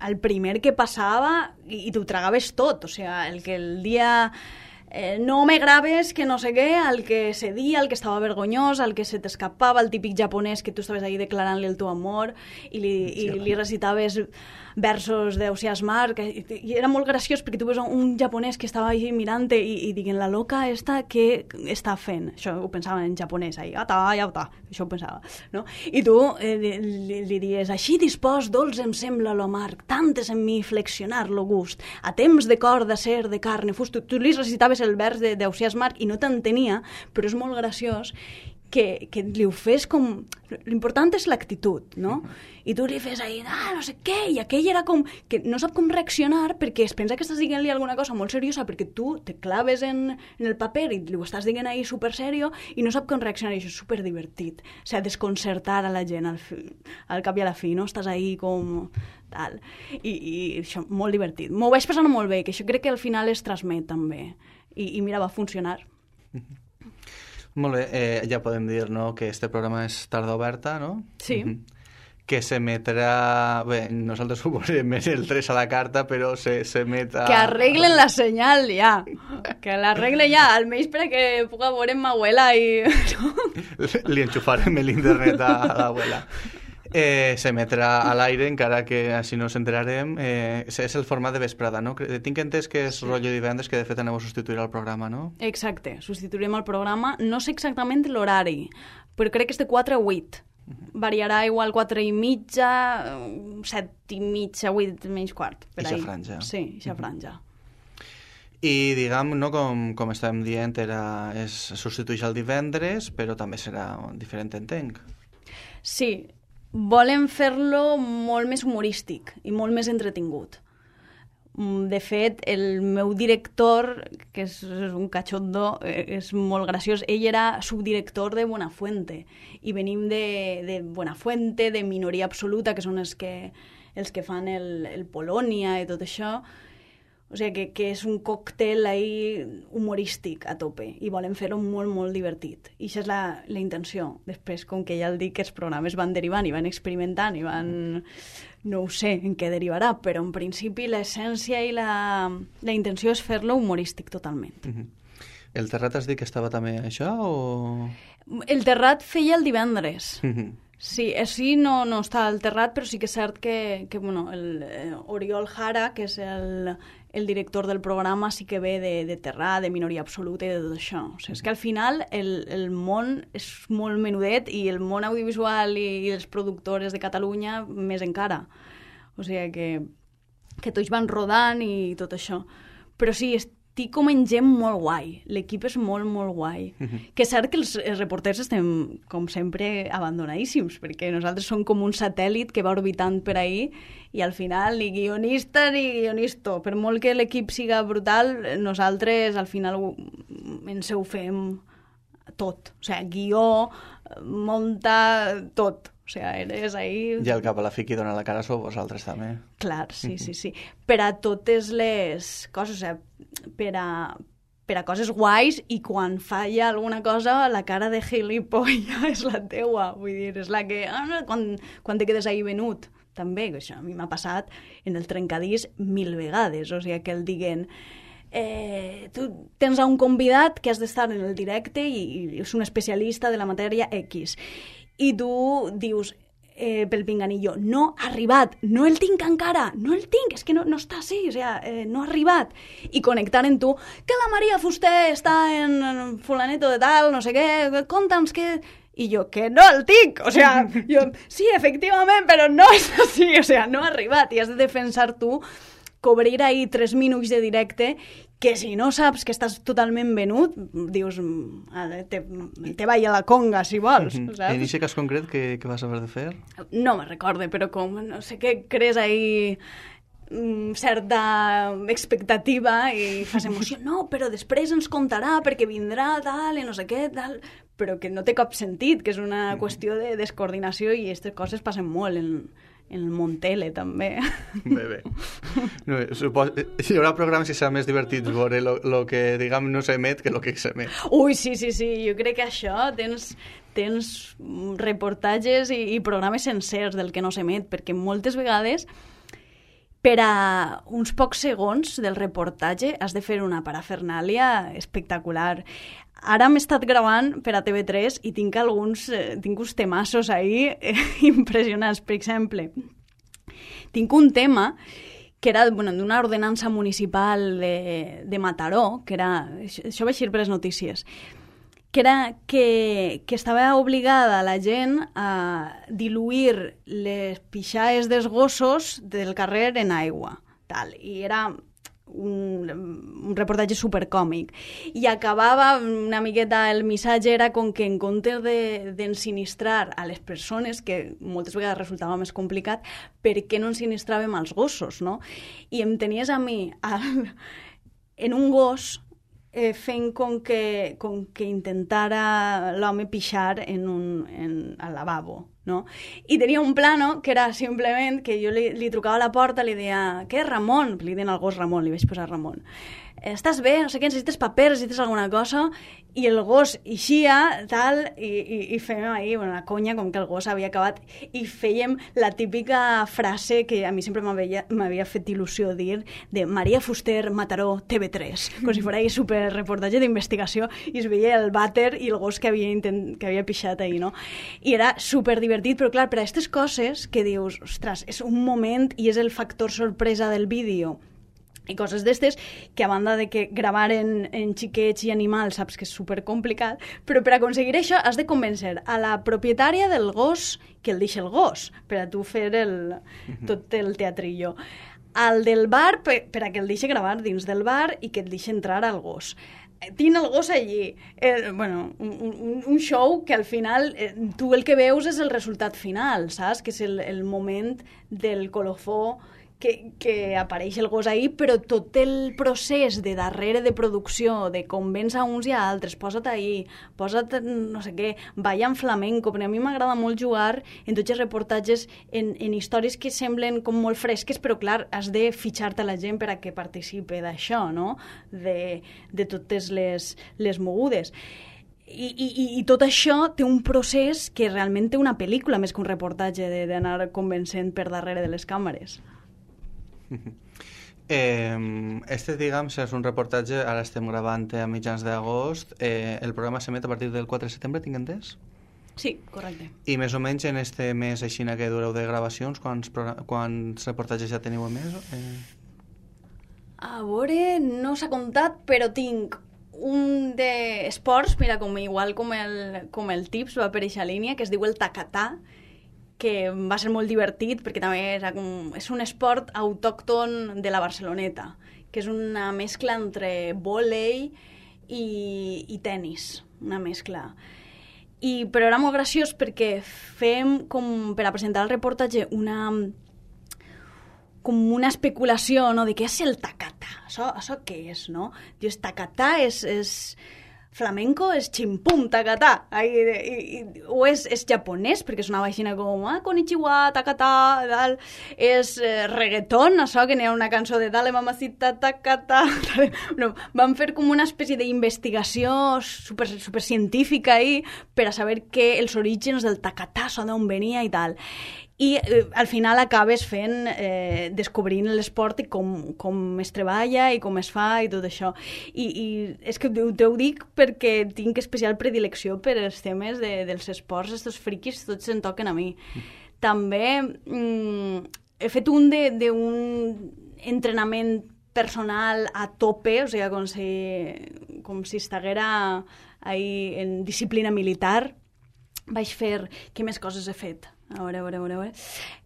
el primer que passava i t'ho tragaves tot, o sigui, el que el dia no me graves, que no sé què, el que cedia, el que estava vergonyós, el que se t'escapava, el típic japonès que tu estaves ahí declarant-li el teu amor i li recitaves versos d'Ausiàs Marc, i era molt graciós perquè tu veus un japonès que estava ahí mirant-te i dient, la loca esta, què està fent? Això ho pensava en japonès, ahí, això ho pensava, no? I tu li dies, així dispòs, dolç em sembla lo amarg, tantes en mi flexionar lo gust, a temps de cor, d'acer, de carne, fust, tu li recitaves el vers d'Ausiàs Marc i no t'entenia, però és molt graciós que li ho fes com... L'important és l'actitud, no? I tu li fes ahí, no sé què, i aquell era com... que no sap com reaccionar perquè es pensa que estàs dient-li alguna cosa molt seriosa perquè tu te claves en el paper i li ho estàs dient ahí super serio i no sap com reaccionar, i això és super divertit. O sigui, desconcertar a la gent al cap i a la fi, no? Estàs ahí com... tal. I això, molt divertit. M'ho vaig passar molt bé, que això crec que al final es transmet també. I mira, va funcionar. Molt bé, ja podem dir, no?, que este programa és tarda oberta, no? Sí. Que s'emetrà... Bé, nosaltres ho posem en el 3 a la carta, però s'emet a... Que arreglen la senyal, ja. Que l'arreglen ja, almenys perquè puga veure ma abuela i... Li enxufarem l'internet a l'abuela. S'emetrà a l'aire, encara que així no s'enterarem. És el format de vesprada, no? Tinc entès que és rotllo divendres, que de fet aneu a substituir el programa, no? Exacte, substituirem el programa. No sé exactament l'horari, però crec que és de 4 a 8. Variarà igual 4 i mitja, 7 i mitja, 8 menys quart. Eixa franja. Sí, eixa franja. I, diguem, no, com estàvem dient, es substitueix el divendres, però també serà diferent, entenc. Sí, volen fer-lo molt més humorístic i molt més entretingut. De fet, el meu director, que és un cachondo, és molt graciós, ell era subdirector de Buenafuente, i venim de Buenafuente, de Minoria Absoluta, que són els que fan el Polònia i tot això. O sigui, que és un còctel ahí humorístic a tope i volen fer-ho molt, molt divertit. I això és la intenció. Després, com que ja el dic, que els programes van derivant i van experimentant i van... No ho sé en què derivarà, però en principi l'essència i la intenció és fer-lo humorístic totalment. El Terrat has dit que estava també això o...? El Terrat feia el divendres. Sí, així no està al Terrat, però sí que és cert que bueno, Oriol Jara, que és el director del programa, sí que ve de Terrat, de Minoria Absoluta i de tot això. O sigui, és que al final el món és molt menudet i el món audiovisual i els productors de Catalunya més encara. O sigui que tots van rodant i tot això. Però sí, estic com en gent molt guai. L'equip és molt, molt guai. Que és cert que els reporters estem, com sempre, abandonadíssims, perquè nosaltres som com un satèl·lit que va orbitant per ahí i al final ni guionista ni guionisto. Per molt que l'equip siga brutal, nosaltres al final ens ho fem tot. O sigui, guió, munta, tot. O sigui, eres ahí... I al cap a la fi qui dona la cara sou vosaltres també. Clar, sí. Per a totes les coses, o sigui, per a coses guais, i quan falla alguna cosa, la cara de gilipollas és la teua. Vull dir, és la que... quan te quedes ahí venut. També, que això a mi m'ha passat en el trencadís 1000 vegades. O sigui, que el diguen... tu tens un convidat que has d'estar en el directe i és un especialista de la matèria X. I tu dius, pel pinganillo. No ha arribat, no el tinc encara, no el tinc, és que no està així, o sea, no ha arribat. I connectar en tu, que la Maria Fuster està en fulaneto de tal, no sé què, conta'ns què... I jo, que no el tinc, o sea, jo, sí, efectivament, però no és així, o sea, no ha arribat, i has de defensar tu, cobrir ahí 3 minuts de directe, que si no saps que estàs totalment venut, dius, te vaya a la conga, si vols, saps? En aquest cas concret, què vas haver de fer? No me recorde, però com, no sé què crees ahí... certa expectativa i fas emoció, no, però després ens contarà perquè vindrà tal i no sé què, tal, però que no té cap sentit, que és una qüestió de descoordinació i aquestes coses passen molt en el món tele, també. Bé. No, hi haurà programes que seran més divertits veure el que, diguem, no s'emet que el que s'emet. Ui, sí, jo crec que això tens reportatges i programes sencers del que no s'emet, perquè moltes vegades per a uns pocs segons del reportatge has de fer una parafernàlia espectacular. Ara m'he estat gravant per a TV3 i tinc uns temassos ahí impressionants. Per exemple, tinc un tema que era d'una ordenança municipal de Mataró, que era, això va eixir per les notícies, que era que estava obligada la gent a diluir les pixades dels gossos del carrer en aigua. Tal. I era un reportatge supercòmic. I acabava una miqueta, el missatge era com que en comptes d'ensinistrar a les persones, que moltes vegades resultava més complicat, per què no ensinistràvem als gossos, no? I em tenies a mi en un gos fent com que intentara l'home pixar al lavabo, no? I tenia un plano que era simplement que jo li trucava a la porta, li deia, què, Ramon? Li deien al gos Ramon, li vaig posar Ramon. Estàs bé? No sé què, necessites paper, necessites alguna cosa? I el gos eixia, tal, i fèiem ahí la conya com que el gos havia acabat i fèiem la típica frase que a mi sempre m'havia fet il·lusió dir de Maria Fuster, Mataró, TV3, com si fos super reportatge d'investigació i es veia el vàter i el gos que havia pixat ahí, no? I era super divertit, però clar, per a aquestes coses que dius, ostres, és un moment i és el factor sorpresa del vídeo i coses d'estes, que a banda de que gravar en xiquets i animals saps que és supercomplicat, però per aconseguir això has de convèncer a la propietària del gos que el deixi el gos, per a tu fer tot el teatrillo. Al del bar, per a que el deixi gravar dins del bar i que et deixi entrar al gos. Tinc el gos allí. Un show que al final tu el que veus és el resultat final, saps? Que és el moment del colofó que apareix el gos ahí, però tot el procés de darrere de producció, de convèncer a uns i a altres, posa't ahí, posa't no sé què, balla en flamenco, perquè a mi m'agrada molt jugar en tots els reportatges en històries que semblen com molt fresques, però clar, has de fitxar-te la gent per a que participe d'això, no? De totes les mogudes. I tot això té un procés que realment té una pel·lícula més que un reportatge d'anar convencent per darrere de les càmeres. Diguem, és un reportatge, ara estem gravant a mitjans d'agost, el programa s'emet a partir del 4 de setembre, tinc entès? Sí, correcte. I més o menys en este mes així que dureu de gravacions, quants reportatges ja teniu emès? A veure, no s'ha comptat, però tinc un d'esports, mira, igual com el Tips va per eixa línia, que es diu el tacatà, que va ser molt divertit perquè també és un esport autòcton de la Barceloneta, que és una mescla entre vòlei i tennis, una mescla. Però era molt graciós perquè fem, com per a presentar el reportatge, com una especulació, no?, de què és el tacatà. Això què és, no? Dius, tacatà és flamenco, és ximpum, tacatà. O és japonès, perquè sonava així com konnichiwa, tacatà, tal. És reggaeton, això, que n'hi ha una cançó de dale mamacita, tacatà. No, van fer com una espècie d'investigació super científica ahí per a saber els orígens del tacatà, d'on venia i tal. I al final acabes descobrint l'esport i com es treballa i com es fa i tot això. I és que t'ho dic perquè tinc especial predilecció per els temes dels esports, estos friquis, tots se'n toquen a mi. també he fet un entrenament personal a tope, o sigui, com si estiguera ahí en disciplina militar. Vaig fer... Què més coses he fet? A veure.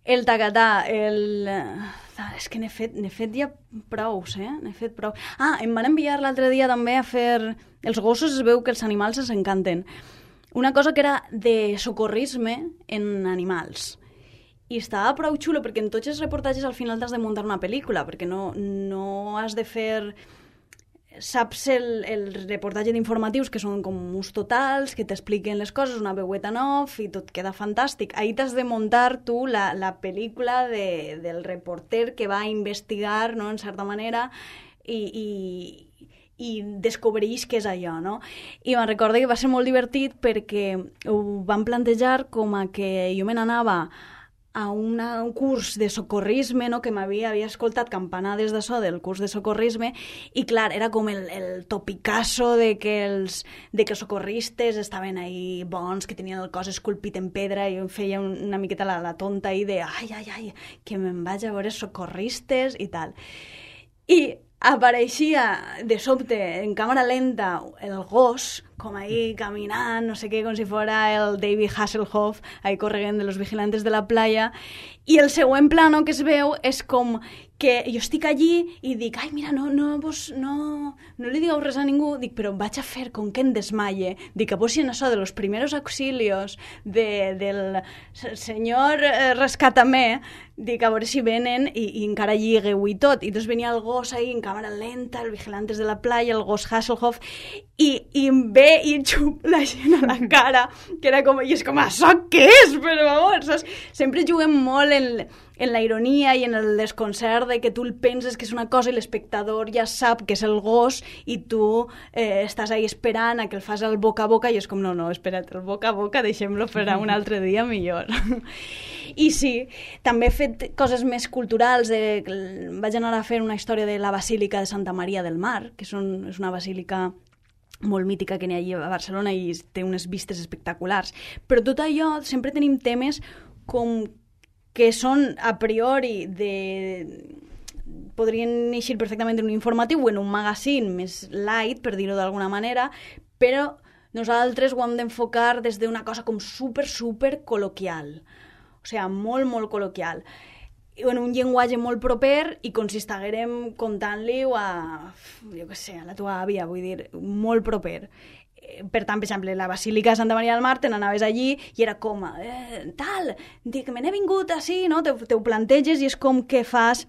El tacatà, és que n'he fet ja prous, N'he fet prou. Em van enviar l'altre dia també a fer... Els gossos es veu que els animals els encanten. Una cosa que era de socorrisme en animals. I estava prou xulo, perquè en tots els reportatges al final t'has de muntar una pel·lícula, perquè no has de fer... Saps el reportatge d'informatius, que són com uns totals, que t'expliquen les coses, una veueta en off, i tot queda fantàstic. Ahí t'has de muntar tu la pel·lícula del reporter que va a investigar, no?, en certa manera, i descobreix què és allò, no? I me'n recordo que va ser molt divertit perquè ho van plantejar com a que jo me n'anava a un curs de socorrisme, no?, que havia escoltat campanades d'això del curs de socorrisme, i clar, era com el topicasso de que els socorristes estaven ahí bons, que tenien el cos esculpit en pedra, i jo em feia una miqueta la tonta ahí de ai, que me'n vaig a veure socorristes i tal. I apareixia de sobte en càmera lenta el gos, com ahí caminant, no sé què, com si fora el David Hasselhoff, ahí corregent de los vigilantes de la playa, i el següent plano que es veu és com que jo estic allí i dic, ai, mira, no li digueu res a ningú, dic, però vaig a fer com que em desmaie, dic, que posin això de los primeros auxilios del senyor rescátame, dic, a veure si venen i encara lligueu i tot, i doncs venia el gos ahí en càmera lenta, el vigilantes de la playa, el gos Hasselhoff, i em ve i em xup la gent a la cara, que era com, i és com, això què és? Però, vamos, saps? Sempre juguem molt en la ironia i en el desconcert de que tu el penses que és una cosa i l'espectador ja sap que és el gos i tu estàs ahí esperant a que el fas el boca a boca i és com, no, espera't, el boca a boca deixem-lo per a un altre dia millor. I sí, també he fet coses més culturals. Vaig anar a fer una història de la Basílica de Santa Maria del Mar, que és una basílica molt mítica que n'hi ha allà a Barcelona i té unes vistes espectaculars. Però tot allò, sempre tenim temes com que són a priori podrien eixir perfectament en un informatiu o en un magazine més light, per dir-ho d'alguna manera, però nosaltres ho hem d'enfocar des d'una cosa com super col·loquial. O sigui, molt, molt col·loquial. En un llenguatge molt proper i com si estiguérem contant-li a la tua àvia, vull dir, molt proper. Per tant, per exemple, la Basílica de Santa Maria del Mar, te n'anaves allí i era com, tal, dic, me n'he vingut així, no? Te ho planteges i és com que fas...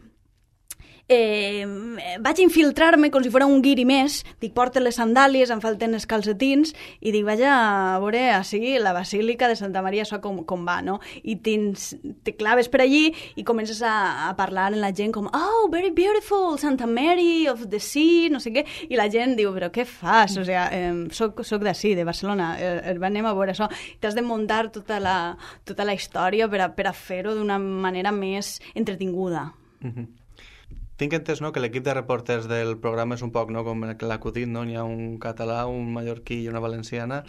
vaig infiltrar-me com si fos un guiri més, dic, porta les sandàlies, em falten els calcetins, i dic, vaig a veure així la Basílica de Santa Maria, això com va, no? I te claves per allí i comences a parlar amb la gent com, oh, very beautiful, Santa Mary of the Sea, no sé què, i la gent diu, però què fas? O sigui, soc d'ací, de Barcelona, anem a veure això. T'has de muntar tota la història per a fer-ho d'una manera més entretinguda. Tinc entès, no?, que l'equip de reporters del programa és un poc, no?, com l'acudit, no? N'hi ha un català, un mallorquí i una valenciana.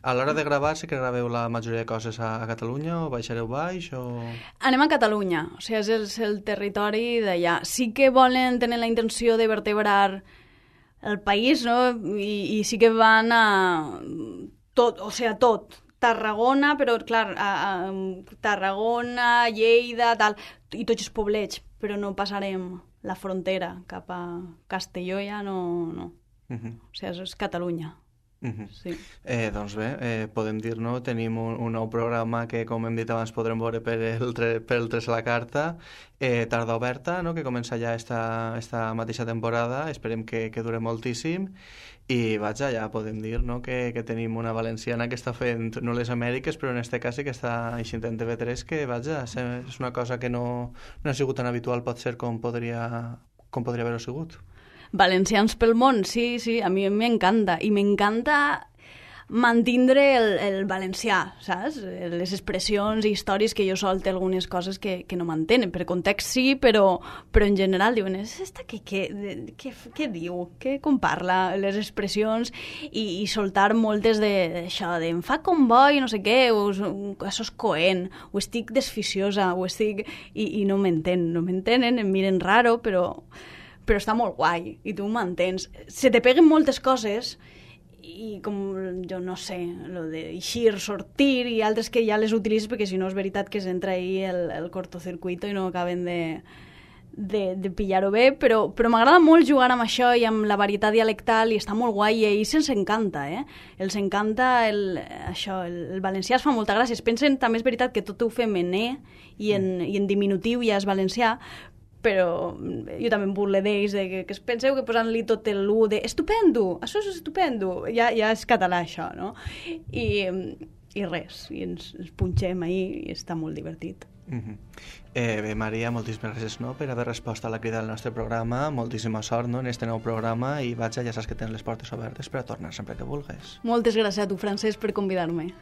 A l'hora de gravar, sí que graveu la majoria de coses a Catalunya o baixareu baix o...? Anem a Catalunya, o sigui, és el territori d'allà. Sí que volen tenir la intenció de vertebrar el país, no?, i sí que van a tot, o sigui, tot. Tarragona, però, clar, Tarragona, Lleida, tal, i tots els poblets, però no passarem la frontera cap a Castelló, ja no. O sigui, és Catalunya. Sí. Doncs bé, podem dir, no? Tenim un nou programa que, com hem dit abans, podrem veure per el 3 a la carta, Tarda Oberta, no?, que comença ja esta mateixa temporada, esperem que dure moltíssim, i vaja, ja podem dir, no?, que tenim una valenciana que està fent no les Amèriques, però en este cas sí que està eixint en TV3, que vaja, és una cosa que no ha sigut tan habitual, pot ser, com podria haver-ho sigut. Valencians pel món, sí, a mi m'encanta. I m'encanta mantindre el valencià, saps? Les expressions i històries que jo sol té algunes coses que no m'entenen. Per context sí, però en general diuen, esta què diu? Com parla? Les expressions i soltar moltes d'això, de em fa com bo i no sé què, això és coent, o estic desficiosa, o estic... I no m'entenen, em miren raro, però està molt guai, i tu m'entens. Se te peguen moltes coses, i com, jo no sé, lo de eixir, sortir, i altres que ja les utilitzes, perquè si no és veritat que s'entra ahí el cortocircuito i no acaben de pillar-ho bé, però m'agrada molt jugar amb això i amb la varietat dialectal, i està molt guai, i a ells ens encanta, els encanta el valencià, es fa molta gràcia. Es pensen, també és veritat que tot ho fem en i en diminutiu ja és valencià, però jo també em burle d'ells, que es penseu que posant-li tot l'u de estupendo, això és estupendo, ja és català això, no? I res, i ens punxem ahir i està molt divertit. Bé, Maria, moltíssimes gràcies per haver respost a la crida del nostre programa, moltíssima sort en este nou programa, i vaja, ja saps que tens les portes obertes per a tornar sempre que vulguis. Moltes gràcies a tu, Francesc, per convidar-me.